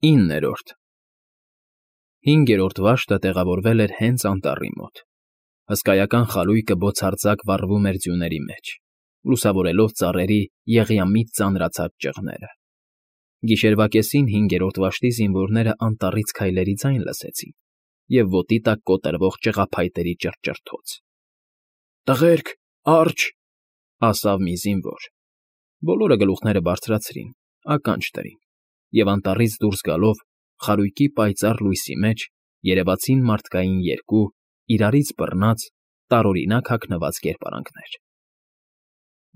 9-րդ 5-րդ վաշտը տեղավորվել էր հենց անտառի մոտ։ Հսկայական խարույկը բոցարձակ վառվում էր ձյուների մեջ, լուսավորելով ծառերի եղյամիտ ծանրացած ճղները։ Գիշերվա կեսին 5-րդ վաշտի զինվորները անտառից քայլերի ձայն լսեցին և ոտի տակ կոտրվող ճղափայտերի ճռճռթոց։ «Տղերք, արջ», ասավ մի զինվոր։ Բոլորը գլուխները բարձրացրին, ականջ դրին, և անտառից դուրս գալով, խարույկի պայծառ լույսի մեջ երևացին մարդկային երկու, իրարից բռնած, տարօրինակ հագնված կերպարանքներ։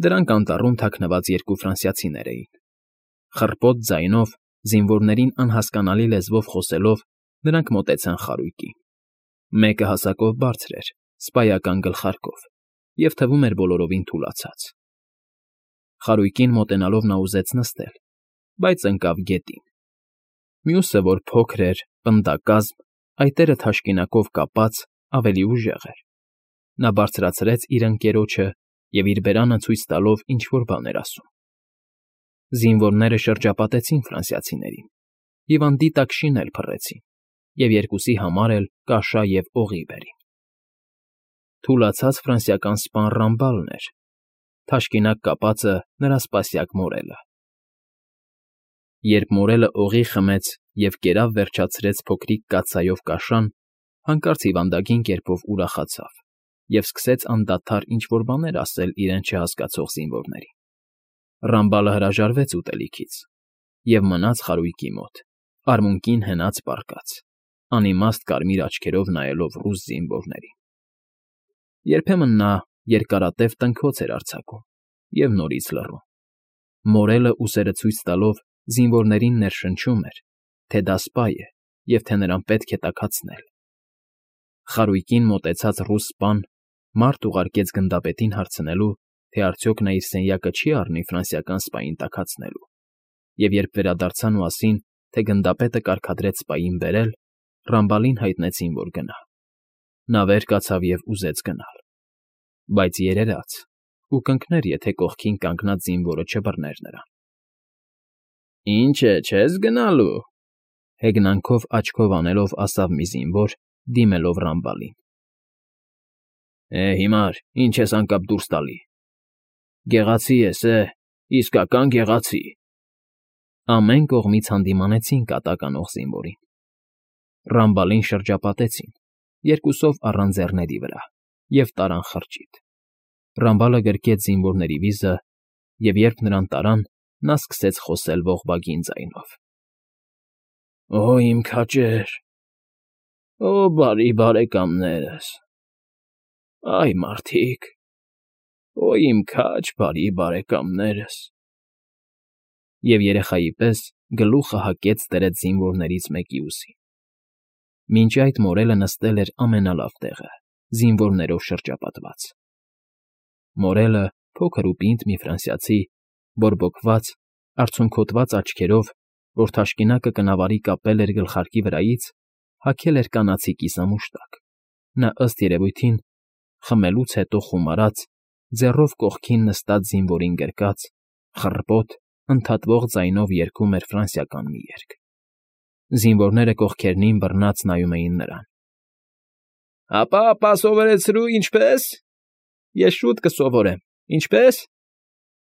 Դրանք անտառում թաքնված երկու ֆրանսիացիներ էին։ Խռպոտ ձայնով, զինվորներին անհասկանալի լեզվով խոսելով, նրանք մոտեցան խարույկին։ Մեկը հասակով բարձր էր, սպայական գլխարկով, և թվում էր բոլորովին թուլացած։ Խարույկին մոտենալով նա ուզեց նստել, բայց ընկավ գետին։ Մյուսը, որ փոքր էր, պնդակազմ, այտերը թաշկինակով կապած, ավելի ուժեղ էր։ Նա բարձրացրեց իր ընկերոջը և իր բերանը ցույց տալով ինչ֊որ բան էր ասում։ Զինվորները շրջապատեցին ֆրանսիացիներին, հիվանդի տակ շինել փռեցին և երկուսի համար էլ կաշա և օղի բերին։ Թուլացած ֆրանսիական սպան Ռամբալն էր, թաշկինակ կապածը նրա սպասյակ Մորելը։ Երբ Մորելը օղի խմեց և կերավ վերջացրեց փոքրիկ կաթսայով կաշան, հանկարծ հիվանդագին կերպով ուրախացավ և սկսեց անդադար ինչ֊որ բաներ ասել իրեն չհասկացող զինվորներին։ Ռամբալը հրաժարվեց ուտելիքից և մնաց խարույկի մոտ, արմունկին հենած պառկած, անիմաստ կարմիր աչքերով նայելով ռուս զինվորներին։ Երբեմն նա երկարատև տնքոց էր արձակում և նորից լռում։ Մորելը ուսերը ցույց տալով զինվորներին ներշնչում էր, թե դա սպա է և թե նրան պետք է տաքացնել։ Խարույկին մոտեցած ռուս սպան մարդ ուղարկեց գնդապետին հարցնելու, թե արդյոք նա իր սենյակը չի առնի ֆրանսիական սպային տաքացնելու, և երբ վերադարձան ու ասին, թե գնդապետը կարգադրեց սպային բերել, Ռամբալին հայտնեցին, որ գնա։ Նա վեր կացավ և ուզեց գնալ, բայց երերաց ու կընկներ, եթե կողքին կանգնած զինվորը չբռներ նրան։ «Ինչ է, չես գնալու», հեգնանքով աչքով անելով ասավ մի զինվոր, դիմելով Ռամբալին։ Հիմար, ինչ ես անկապ դուրս տալի։ Գեղացի ես, իսկական գեղացի։ Ամեն կողմից հանդիմանեցին կատակ անող զինվորին։ Ռամբալին շրջապատեցին, երկուսով առան ձեռների վրա և տարան խրճիթ։ Ռամբալը գրկեց զինվորների վիզը, և երբ նրան տարան, նա սկսեց խոսել ողբագին ձայնով. «Օ, իմ քաջեր, օ, բարի բարեկամներս, այ մարդիկ, օ, իմ քաջ բարի բարեկամներս»։ Եվ երեխայի պես գլուխը հակեց դրեց զինվորներից մեկի ուսին։ Մինչ այդ Մորելը նստել էր ամենալավ տեղը, զինվորներով շրջապատված։ Մորելը, փոքր ու պինդ մի ֆրանսիացի, բորբոքված, արցունքոտված աչքերով, որ թաշկինակը կնավարի կապել էր գլխարկի վրայից, հագել էր կանացի կիսամուշտակ։ Նա, ըստ երևույթին, խմելուց հետո խումարած, ձեռով կողքին նստած զինվորին գրկած, խռպոտ, ընդհատվող ձայնով երգում էր ֆրանսիական մի երգ։ Զինվորները կողքերնին բռնած նայում էին նրան։ «Ապա սովորեցրու, ինչպե՞ս։ Ես շուտ կսովորեմ, ինչպե՞ս»,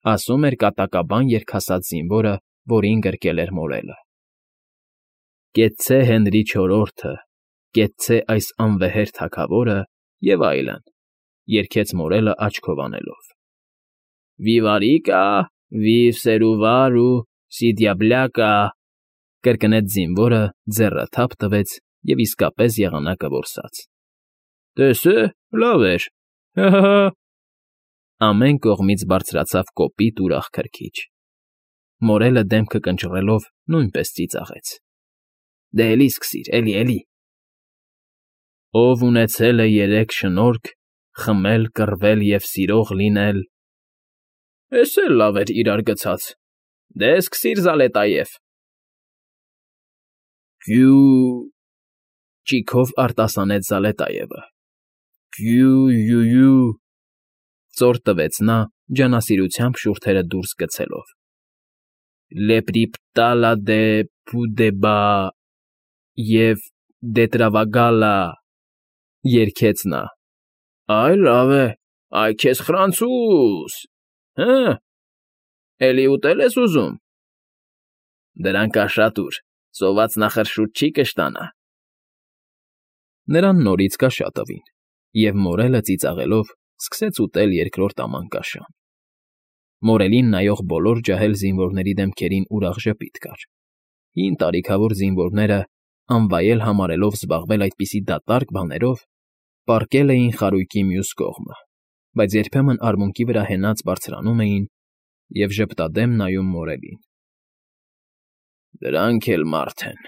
ասում էր կատակաբան երգասաց զինվորը, որին գրկել էր Մորելը։ «Կեցցե Հենրի չորրորդը, կեցցե այս անվեհեր թագավորը» և այլն, երգեց Մորելը աչքով անելով։ «Վիվարիկա, վիվ սերուվարու, սիդյաբլյակա», կրկնեց զինվորը, ձեռը թափ տվեց և իսկապես եղանակը որսաց։ «Տես է, լավ էր, հը՜։ Ամեն կողմից բարձրացավ կոպիտ ուրախ քրքիջ։ Մորելը դեմքը կնճռելով նույնպես ծիծաղեց։ Դե էլի սկսիր, էլի։ Ով ունեցել է երեք շնորհք, խմել, կռվել և սիրող լինել։ Էս էլ լավ էր իրար գցած։ Դե սկսիր, Զալետաև։ Հյու… ճիգով արտասանեց Զալետաևը։ Հյու… ծոր տվեց նա, ջանասիրությամբ շուրթերը դուրս գցելով։ Լեպրիպտալա դե Ֆուդեբա և դետրավագալա, երգեց նա։ Այ լավ է, այ քեզ խրանցուս, հը՞, էլի ուտել ես ուզում։ Դրանք կա շատ ուր, սոված նախրշուտ չի կշտանա։ Նրան նորից կաշա տվին, և մորելը ծիծաղելով սկսեց ուտել երկրորդ աման կաշան։ Մորելին նայող բոլոր ջահել զինվորների դեմքերին ուրախ ժպիտ կար։ Հին տարիքավոր զինվորները, անվայել համարելով զբաղվել այդպիսի դատարկ բաներով, պառկել էին խարույկի մյուս կողմը, բայց երբեմն արմունկի վրա հենած բարձրանում էին և ժպտադեմ նայում մորելին։ Դրանք էլ մարդ են,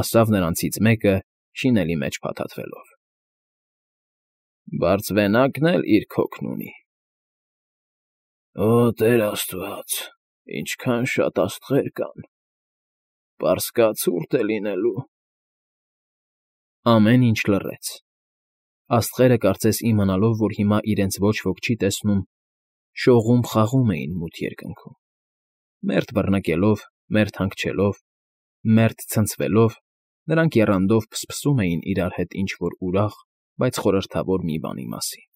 ասավ նրանցից մեկը, շինելի մեջ փաթաթվելով։ Բարձվենակն էլ իր քոքն ունի։ Օ, Տեր Աստված, ինչքան շատ աստղեր կան, պարսկաց ցուրտ է լինելու։ Ամեն ինչ լռեց։ Աստղերը, կարծես իմանալով, որ հիմա իրենց ոչ ոք չի տեսնում, շողում֊խաղում էին մութ երկնքում։ Մերթ բռնկելով, մերթ հանգչելով, մերթ ցնցվելով, նրանք եռանդով փսփսում էին իրար հետ ինչ֊որ ուրախ, բայց խորհրդավոր մի բանի մասին։